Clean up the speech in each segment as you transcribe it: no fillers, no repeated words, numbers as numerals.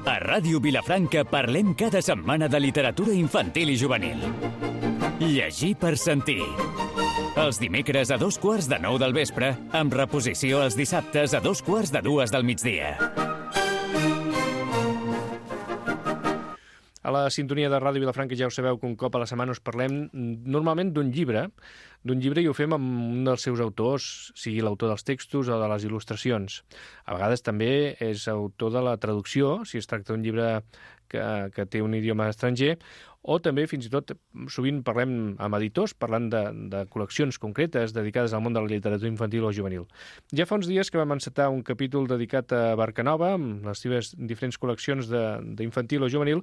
A Ràdio Vilafranca parlem cada setmana de literatura infantil i juvenil. Llegir per sentir. Els dimecres a 8:45 del vespre, amb reposició els dissabtes a 2:45 del migdia. A la sintonia de Ràdio Vilafranca ja ho sabeu que un cop a la setmana us parlem normalment d'un llibre i ho fem amb un dels seus autors, sigui l'autor dels textos o de les il·lustracions. A vegades també és autor de la traducció, si es tracta d'un llibre que té un idioma estranger, o també, fins i tot, sovint parlem amb editors, parlant de col·leccions concretes dedicades al món de la literatura infantil o juvenil. Ja fa uns dies que vam encetar un capítol dedicat a Barcanova, amb les seves diferents col·leccions d'infantil o juvenil,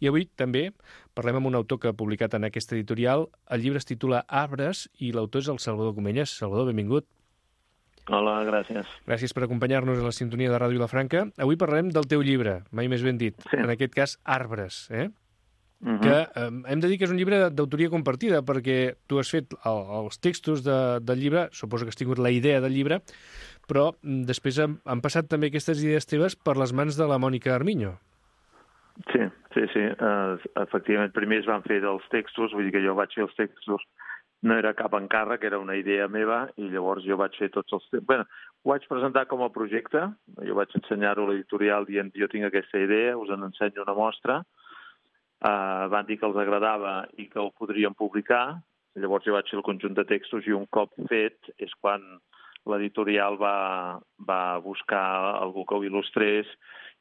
i avui també parlem amb un autor que ha publicat en aquesta editorial. El llibre es titula Arbres i l'autor és el Salvador Comelles. Salvador, benvingut. Hola, gràcies. Gràcies per acompanyar-nos a la sintonia de Ràdio Vilafranca. Avui parlarem del teu llibre, mai més ben dit, en aquest cas Arbres, que hem de dir que és un llibre d'autoria compartida, perquè tu has fet els textos del llibre, suposo que has tingut la idea del llibre, però després han passat també aquestes idees teves per les mans de la Mònica Armiño. Sí. Efectivament, primer es van fer dels textos, vull dir que jo vaig fer els textos, no era cap encàrrec, era una idea meva, i llavors jo vaig fer tots els textos. Bé, ho vaig presentar com a projecte, jo vaig ensenyar-ho a l'editorial dient jo tinc aquesta idea, us en ensenyo una mostra, van dir que els agradava i que ho podrien publicar, llavors jo vaig fer el conjunt de textos i un cop fet és quan l'editorial va buscar algú que ho il·lustrés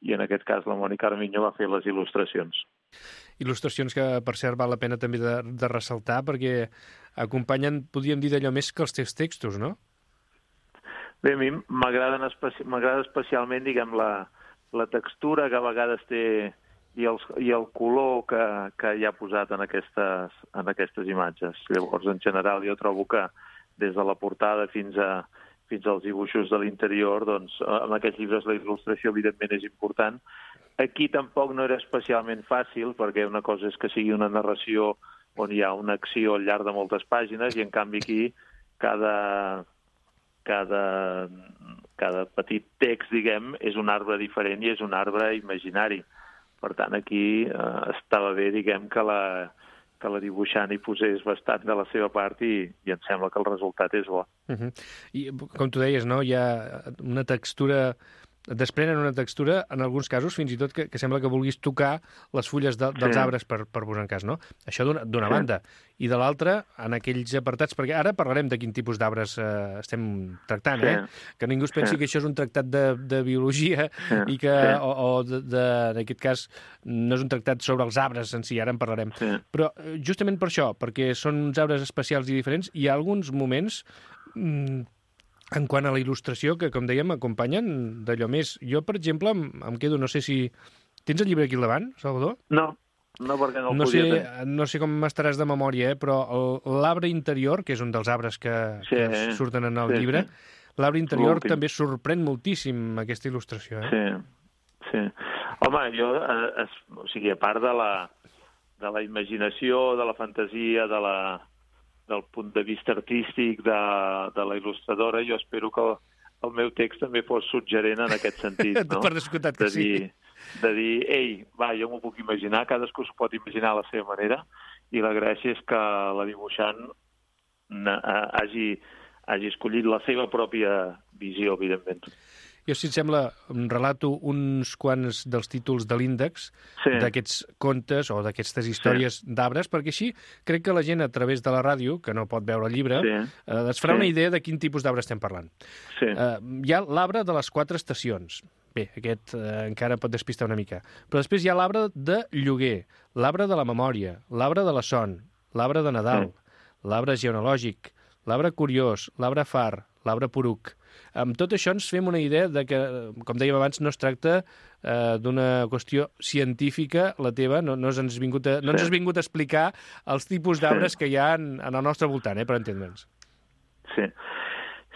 i en aquest cas la Mònica Armiño va fer les il·lustracions. Il·lustracions que, per cert, val la pena també de ressaltar perquè acompanyen, podríem dir, d'allò més que els teus textos, no? Bé, a mi m'agrada especialment, diguem, la textura que a vegades té i el color que hi ha posat en aquestes imatges. Llavors, en general, jo trobo que des de la portada fins als dibuixos de l'interior, doncs, en aquests llibres la il·lustració, evidentment, és important. Aquí tampoc no era especialment fàcil, perquè una cosa és que sigui una narració on hi ha una acció al llarg de moltes pàgines, i en canvi aquí cada petit text, diguem, és un arbre diferent i és un arbre imaginari. Per tant, aquí estava bé, diguem, que la dibuixant hi posés bastant de la seva part i em sembla que el resultat és bo. I, com tu deies, no, hi ha una textura, desprenen una textura, en alguns casos, fins i tot que sembla que vulguis tocar les fulles dels arbres, per posar en cas, no? Això d'una banda. I de l'altra, en aquells apartats, perquè ara parlarem de quin tipus d'arbres estem tractant, que ningú es pensi que això és un tractat de biologia i que, en aquest cas, no és un tractat sobre els arbres en si, ara en parlarem. Però justament per això, perquè són uns arbres especials i diferents, hi ha alguns moments en quant a la il·lustració, que, com dèiem, acompanyen d'allò més. Jo, per exemple, em quedo, no sé si... Tens el llibre aquí al davant, Salvador? No, perquè no el podia tenir. No sé com estaràs de memòria, però l'arbre interior, que és un dels arbres que surten en el llibre, l'arbre interior també sorprèn moltíssim aquesta il·lustració. Sí. Home, jo, o sigui, a part de la imaginació, de la fantasia, del punt de vista artístic de la il·lustradora, jo espero que el meu text també fos suggerent en aquest sentit, no? Per descomptat que sí. De dir, ei, va, jo m'ho puc imaginar, cadascú s'ho pot imaginar a la seva manera, i la gràcia és que la dibuixant hagi escollit la seva pròpia visió, evidentment. Jo, si et sembla, relato uns quants dels títols de l'índex d'aquests contes o d'aquestes històries d'arbres, perquè així crec que la gent, a través de la ràdio, que no pot veure el llibre, es farà una idea de quin tipus d'arbre estem parlant. Hi ha l'arbre de les 4 estacions. Bé, aquest encara pot despistar una mica. Però després hi ha l'arbre de lloguer, l'arbre de la memòria, l'arbre de la son, l'arbre de Nadal, l'arbre genealògic, l'arbre curiós, l'arbre far, l'arbre poruc. Amb tot això ens fem una idea de que, com dèiem abans, no es tracta d'una qüestió científica, la teva, no ens has vingut a explicar els tipus d'arbres que hi ha en el nostre voltant, per entendre'ns.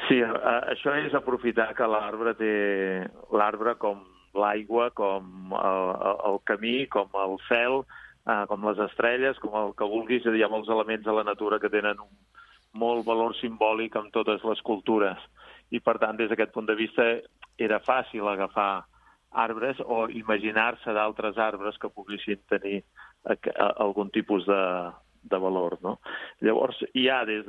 Sí, això és aprofitar que l'arbre com l'aigua, com el camí, com el cel, com les estrelles, com el que vulguis, hi ha molts elements a la natura que tenen un molt valor simbòlic en totes les cultures. I, per tant, des d'aquest punt de vista, era fàcil agafar arbres o imaginar-se d'altres arbres que poguessin tenir algun tipus de valor, no? Llavors, hi ha des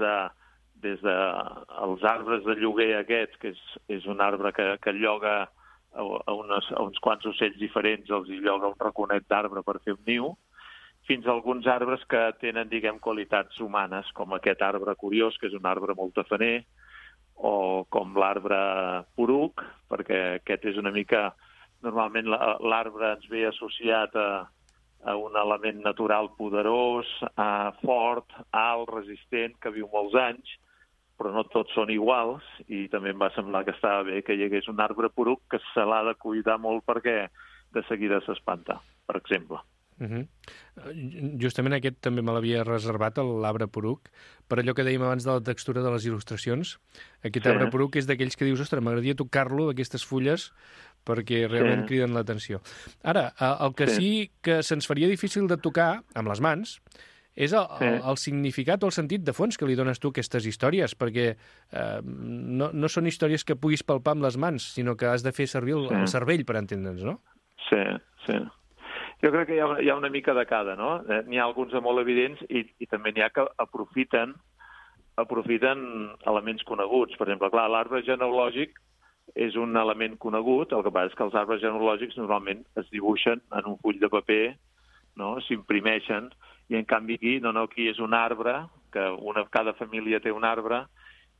dels arbres de lloguer aquests, que és un arbre que lloga a uns quants ocells diferents, els hi lloga un raconet d'arbre per fer un niu, fins a alguns arbres que tenen, diguem, qualitats humanes, com aquest arbre curiós, que és un arbre molt tafaner, o com l'arbre poruc, perquè aquest és una mica... Normalment l'arbre ens ve associat a un element natural poderós, fort, alt, resistent, que viu molts anys, però no tots són iguals, i també em va semblar que estava bé que hi hagués un arbre poruc que se l'ha de cuidar molt perquè de seguida s'espanta, per exemple. Justament aquest també me l'havia reservat, l'arbre poruc, per allò que dèiem abans de la textura de les il·lustracions. Aquest arbre poruc és d'aquells que dius, ostres, m'agradaria tocar-lo, aquestes fulles, perquè realment criden l'atenció. Ara, el que sí que se'ns faria difícil de tocar amb les mans és el significat o el sentit de fons que li dones tu a aquestes històries, perquè no són històries que puguis palpar amb les mans, sinó que has de fer servir el cervell per entendre'ns, no? Sí. Jo crec que hi ha una mica de cada, no? N'hi ha alguns de molt evidents i també n'hi ha que aprofiten elements coneguts. Per exemple, clar, l'arbre genealògic és un element conegut, el que passa és que els arbres genealògics normalment es dibuixen en un full de paper, no? S'imprimeixen, i en canvi aquí és un arbre, que cada família té un arbre,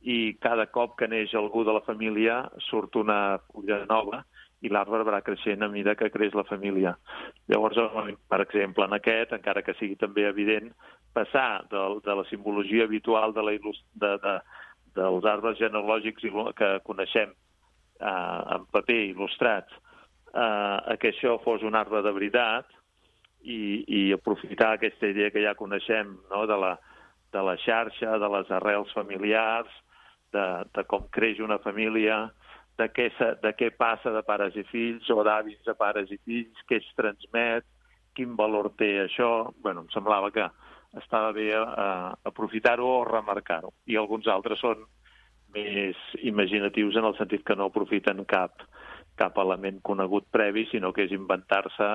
i cada cop que neix algú de la família surt una fulla nova, i l'arbre va creixent a mesura que creix la família. Llavors, per exemple, en aquest, encara que sigui també evident, passar de la simbologia habitual dels arbres genealògics que coneixem en paper il·lustrats, a que això fos un arbre de veritat i aprofitar aquesta idea que ja coneixem, no? de la xarxa, de les arrels familiars, de com creix una família, de què passa de pares i fills o d'avis a pares i fills, què es transmet, quin valor té això. Em semblava que estava bé aprofitar-ho o remarcar-ho. I alguns altres són més imaginatius en el sentit que no aprofiten cap element conegut previ, sinó que és inventar-se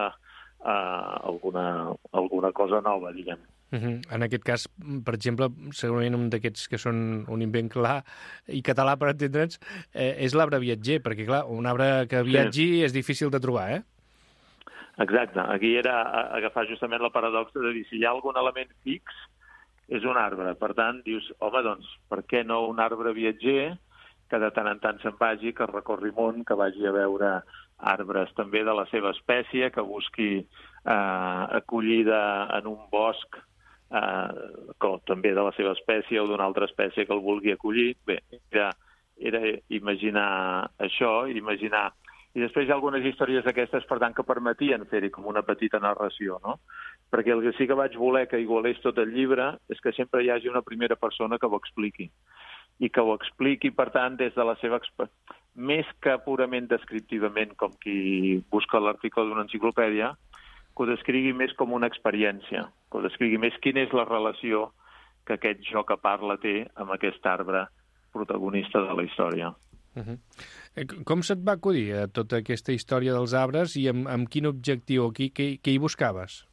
alguna cosa nova, diguem. En aquest cas, per exemple, segurament un d'aquests que són un invent clar i català, per entendre'ns, és l'arbre viatger, perquè, clar, un arbre que viatgi és difícil de trobar, Exacte. Aquí era agafar justament la paradoxa de dir si hi ha algun element fix, és un arbre. Per tant, dius, home, doncs, per què no un arbre viatger que de tant en tant se'n vagi, que recorri món, que vagi a veure arbres també de la seva espècie, que busqui acollida en un bosc també de la seva espècie o d'una altra espècie que el vulgui acollir. Bé, era imaginar això, imaginar... I després hi ha algunes històries d'aquestes, per tant, que permetien fer-hi com una petita narració, no? Perquè el que sí que vaig voler que igualés tot el llibre és que sempre hi hagi una primera persona que ho expliqui. I que ho expliqui, per tant, des de la seva... Més que purament descriptivament, com qui busca l'article d'una enciclopèdia, que ho descrigui més com una experiència, que ho descrigui més quina és la relació que aquest jo que parla té amb aquest arbre protagonista de la història. Com se't va acudir tota aquesta història dels arbres i amb quin objectiu o què hi buscaves?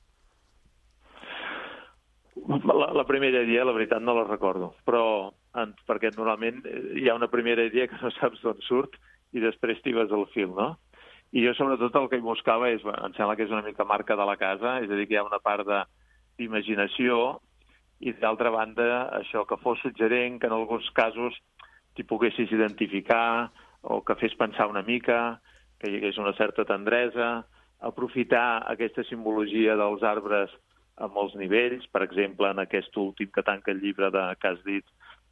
La primera idea, la veritat, no la recordo, però perquè normalment hi ha una primera idea que no saps d'on surt i després t'hi vas al fil, no? I jo, sobretot, el que hi buscava és, em sembla que és una mica marca de la casa, és a dir, que hi ha una part d'imaginació i, d'altra banda, això, que fos suggerent, que en alguns casos t'hi poguessis identificar o que fes pensar una mica, que hi hagués una certa tendresa, aprofitar aquesta simbologia dels arbres a molts nivells, per exemple, en aquest últim que tanca el llibre que has dit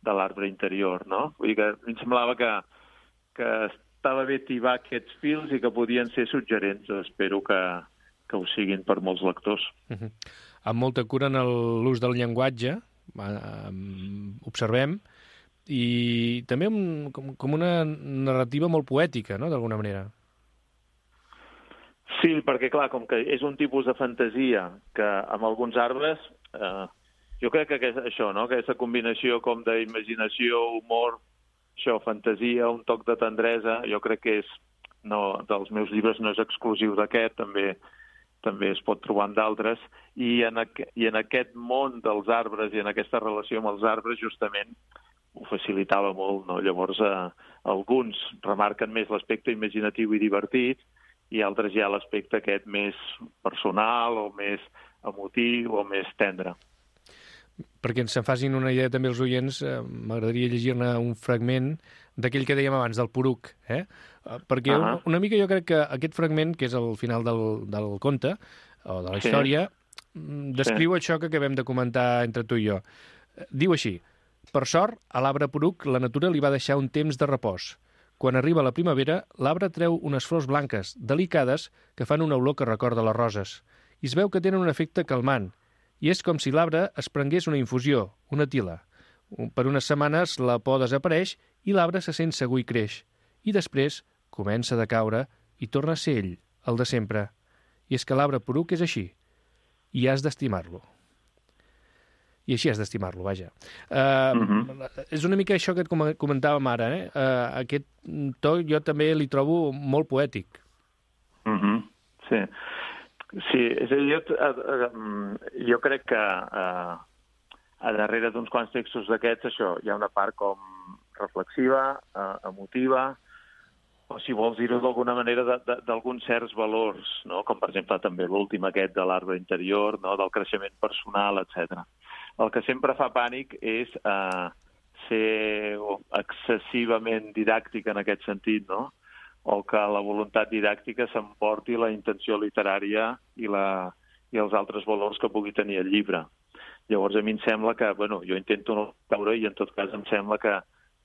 de l'arbre interior, no? Vull dir que em semblava que estava bé tibar aquests fils i que podien ser suggerents. Espero que ho siguin per molts lectors. Amb molta cura en l'ús del llenguatge, observem, i també com una narrativa molt poètica, no?, d'alguna manera. Sí, perquè, clar, com que és un tipus de fantasia que amb alguns arbres, jo crec que això, no?, aquesta combinació com d'imaginació, humor, això, fantasia, un toc de tendresa, jo crec que és dels meus llibres no és exclusiu d'aquest, també es pot trobar en d'altres, i en aquest món dels arbres i en aquesta relació amb els arbres justament ho facilitava molt, no? Llavors alguns remarquen més l'aspecte imaginatiu i divertit i altres ja l'aspecte aquest més personal o més emotiu o més tendre. Perquè ens en facin una idea també els oients, m'agradaria llegir-ne un fragment d'aquell que dèiem abans, del poruc, perquè una mica jo crec que aquest fragment, que és el final del conte, o de la història, descriu això que acabem de comentar entre tu i jo. Diu així: per sort, a l'arbre poruc la natura li va deixar un temps de repòs. Quan arriba la primavera, l'arbre treu unes flors blanques, delicades, que fan una olor que recorda les roses. I es veu que tenen un efecte calmant, i és com si l'arbre es prengués una infusió, una tila. Per unes setmanes la por desapareix i l'arbre se sent segur i creix. I després comença a decaure i torna a ser ell, el de sempre. I és que l'arbre poruc és així. I has d'estimar-lo. I així has d'estimar-lo, vaja. És una mica això que et comentàvem ara, Aquest to jo també li trobo molt poètic. Sí. Sí, és a dir, jo crec que a darrere d'uns quants textos d'aquests, això, hi ha una part com reflexiva, emotiva, o si vols dir-ho d'alguna manera, d'alguns certs valors, no? Com per exemple també l'últim aquest de l'arbre interior, no? Del creixement personal, etc. El que sempre fa pànic és ser excessivament didàctic en aquest sentit, no? O que la voluntat didàctica s'emporti la intenció literària i els altres valors que pugui tenir el llibre. Llavors, a mi em sembla que, jo intento no caure i en tot cas em sembla que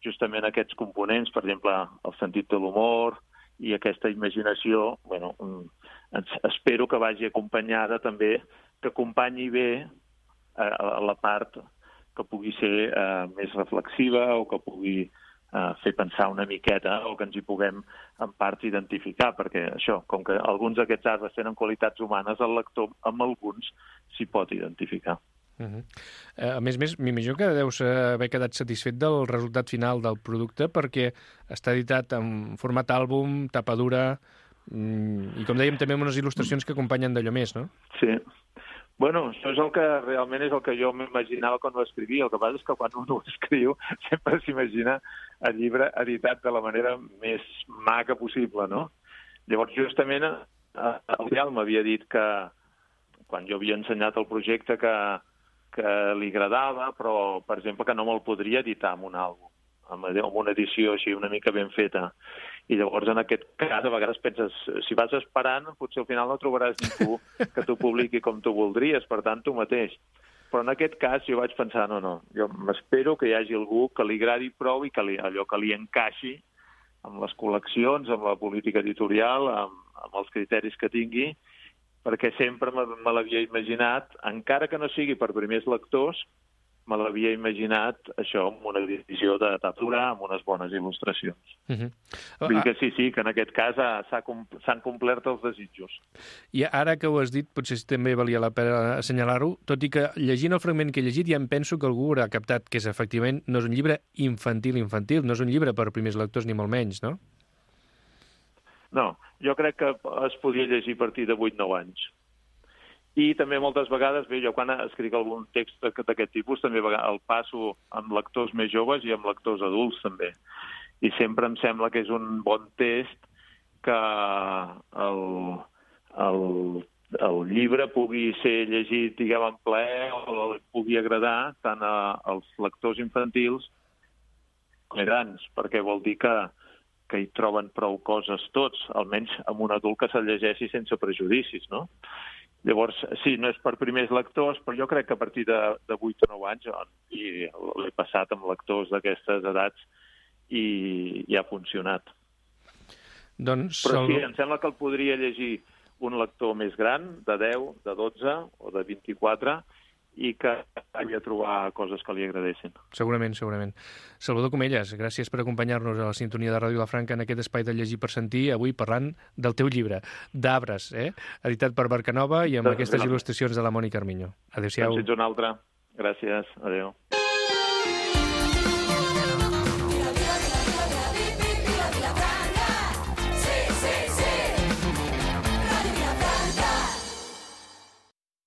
justament aquests components, per exemple, el sentit de l'humor i aquesta imaginació, espero que vagi acompanyada també, que acompanyi bé la part que pugui ser més reflexiva o que pugui fer pensar una miqueta o que ens hi puguem en part identificar, perquè això, com que alguns d'aquests arbres tenen qualitats humanes, el lector amb alguns s'hi pot identificar. A més, m'imagino que deus haver quedat satisfet del resultat final del producte perquè està editat en format àlbum, tapa dura i, com dèiem, també amb unes il·lustracions que acompanyen d'allò més, no? Sí. Això és el que realment és el que jo m'imaginava quan ho escrivia. El que passa és que quan un ho escriu sempre s'imagina el llibre editat de la manera més maca possible, no? Llavors, justament, el Rial m'havia dit que, quan jo havia ensenyat el projecte, que li agradava, però, per exemple, que no me'l podria editar en un àlbum, amb una edició així una mica ben feta. I llavors, en aquest cas, a vegades penses, si vas esperant, potser al final no trobaràs ningú que t'ho publiqui com tu voldries, per tant, tu mateix. Però en aquest cas jo vaig pensar, no, jo m'espero que hi hagi algú que li agradi prou i que allò que li encaixi amb les col·leccions, amb la política editorial, amb els criteris que tingui, perquè sempre me l'havia imaginat, encara que no sigui per primers lectors, me l'havia imaginat això, amb una edició de tapadura, amb unes bones il·lustracions. Vull dir que sí, que en aquest cas s'han complert els desitjos. I ara que ho has dit, potser també valia la pena assenyalar-ho, tot i que llegint el fragment que he llegit ja em penso que algú haurà captat que efectivament no és un llibre infantil, no és un llibre per primers lectors ni molt menys, no? No, jo crec que es podia llegir a partir de 8-9 anys. I també moltes vegades, jo quan escric algun text d'aquest tipus també el passo amb lectors més joves i amb lectors adults també. I sempre em sembla que és un bon test que el llibre pugui ser llegit, diguem, en plaer o pugui agradar tant als lectors infantils com grans, perquè vol dir que hi troben prou coses tots, almenys amb un adult que se'l llegeixi sense prejudicis, no? Llavors, sí, no és per primers lectors, però jo crec que a partir de 8 o 9 anys, i l'he passat amb lectors d'aquestes edats, i ha funcionat. Doncs, però sí, em sembla que el podria llegir un lector més gran, de 10, de 12 o de 24, i que havia de trobar coses que li agradessin. Segurament. Salvador Comellas, gràcies per acompanyar-nos a la sintonia de Ràdio Vilafranca en aquest espai de Llegir per Sentir, avui parlant del teu llibre, d'Arbres, editat per Barcanova i amb aquestes il·lustracions de la Mònica Armiño. Adéu-siau. Fins una altra. Gràcies. Adéu.